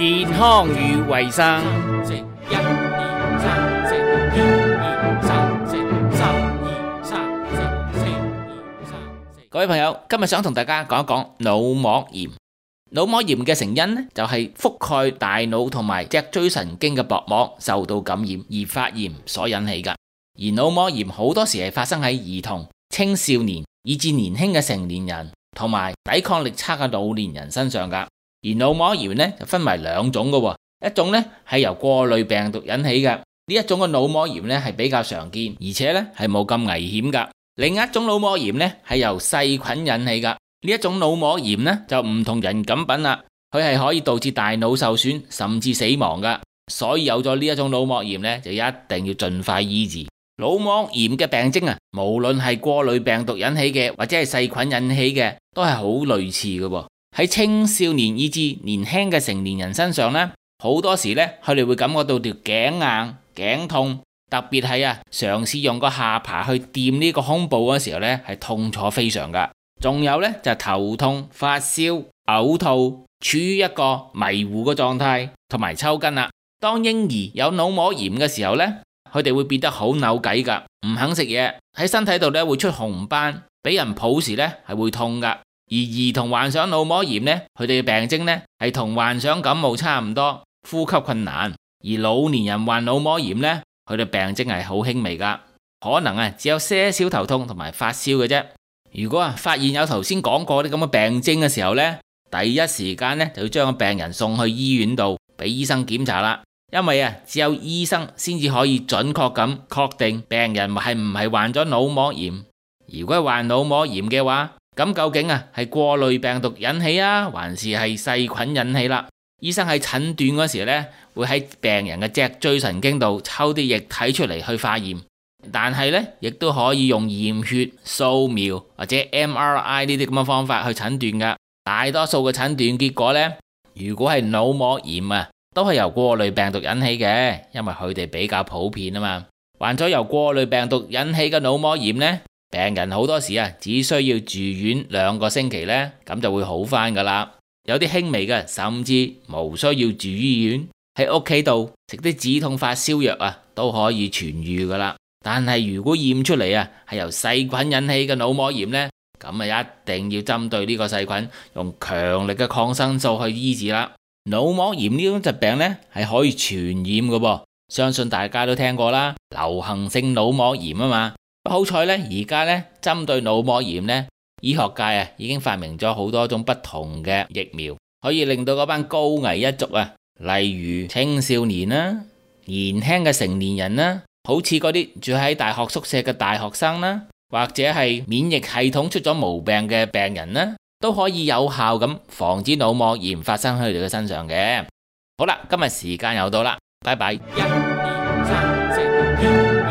健康與衛生。一二三四，一二三四，三二三四，四二三四。各位朋友，今日想同大家講一講腦膜炎。腦膜炎嘅成因呢，就係覆蓋大腦同埋脊椎神經嘅薄膜受到感染而發炎所引起噶。而腦膜炎好多時係發生喺兒童、青少年以至年輕嘅成年人同埋抵抗力差嘅老年人身上噶。而腦膜炎呢就分為兩種噶，一種呢係由過濾病毒引起嘅，呢一種嘅腦膜炎呢係比較常見，而且呢係冇咁危險噶。另一種腦膜炎呢係由細菌引起噶。呢一種腦膜炎呢就唔同人感品啦，佢係可以導致大腦受損甚至死亡噶，所以有咗呢一種腦膜炎呢就一定要盡快醫治。腦膜炎嘅病徵啊，無論係過濾病毒引起嘅或者係細菌引起嘅，都係好類似嘅喎。喺青少年以至年輕嘅成年人身上呢，好多時呢佢哋會感覺到條頸硬、頸痛，特別係嘗試用個下巴去掂呢個胸部嗰時候呢係痛楚非常噶。仲有呢，就係頭痛、發燒、嘔吐，處於一個迷糊嘅狀態，同埋抽筋啦。當嬰兒有腦膜炎嘅時候呢，佢哋會變得好扭計噶，唔肯食嘢，喺身體度呢會出紅斑，俾人抱時呢係會痛噶。而兒童患上腦膜炎呢，佢哋嘅病徵呢係同患上感冒差唔多，呼吸困難。而老年人患腦膜炎呢，佢哋病徵係好輕微噶，可能只有些少頭痛同埋發燒嘅啫。如果發現有頭先講過啲咁嘅病徵嘅時候呢，第一時間呢就要將個病人送去醫院度俾醫生檢查啦。因為只有醫生先至可以準確咁確定病人係唔係患咗腦膜炎。如果係患腦膜炎嘅話，咁究竟係過濾病毒引起還是係細菌引起啦？醫生喺診斷嗰時呢，會喺病人嘅脊椎神經度抽啲液體出嚟去化驗。但係呢，亦都可以用驗血、掃描或者 MRI 呢啲咁嘅方法去診斷噶。大多數嘅診斷結果呢，如果係腦膜炎都係由過濾病毒引起嘅，因為佢哋比較普遍啊嘛。患咗由過濾病毒引起嘅腦膜炎呢，病人好多時只需要住院2個星期呢，咁就會好翻噶啦。有啲輕微嘅，甚至無需要住醫院，喺屋企度食啲止痛發燒藥都可以痊癒噶啦。但係如果驗出嚟係由細菌引起嘅腦膜炎呢，咁一定要針對呢個細菌，用強力嘅抗生素去醫治啦。腦膜炎呢種疾病呢係可以傳染嘅噃，相信大家都聽過啦，流行性腦膜炎啊嘛。好彩呢，而家呢針對腦膜炎呢，醫學界已經發明咗好多種不同嘅疫苗，可以令到嗰班高危一族例如青少年啦、年輕嘅成年人啦，好似嗰啲住喺大學宿舍嘅大學生啦，或者係免疫系統出咗毛病嘅病人啦，都可以有效咁防止腦膜炎發生喺佢哋嘅身上嘅。好啦，今日時間又到啦，拜拜。一二三四，